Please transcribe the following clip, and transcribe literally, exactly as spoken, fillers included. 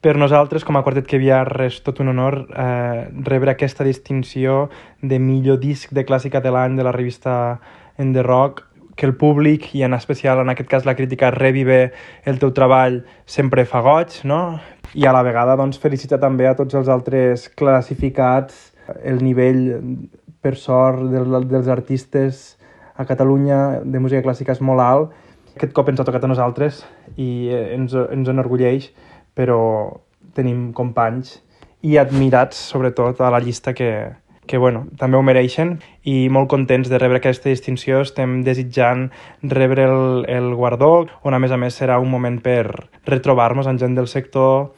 Per nosaltres, com a Quartet Caviar, és tot un honor eh, rebre aquesta distinció de millor disc de clàssica de l'any de la revista En The Rock, que el públic, i en especial en aquest cas la crítica, rebi bé el teu treball sempre fa goig, no? I a la vegada doncs, felicitar també a tots els altres classificats. El nivell, per sort, del, dels artistes a Catalunya de música clàssica és molt alt. Aquest cop ens ha tocat a nosaltres i ens, ens enorgulleix, però tenim companys i admirats, sobretot, a la llista que, que bueno, també ho mereixen, i molt contents de rebre aquesta distinció. Estem desitjant rebre el, el guardó, on a més a més serà un moment per retrobar-nos amb gent del sector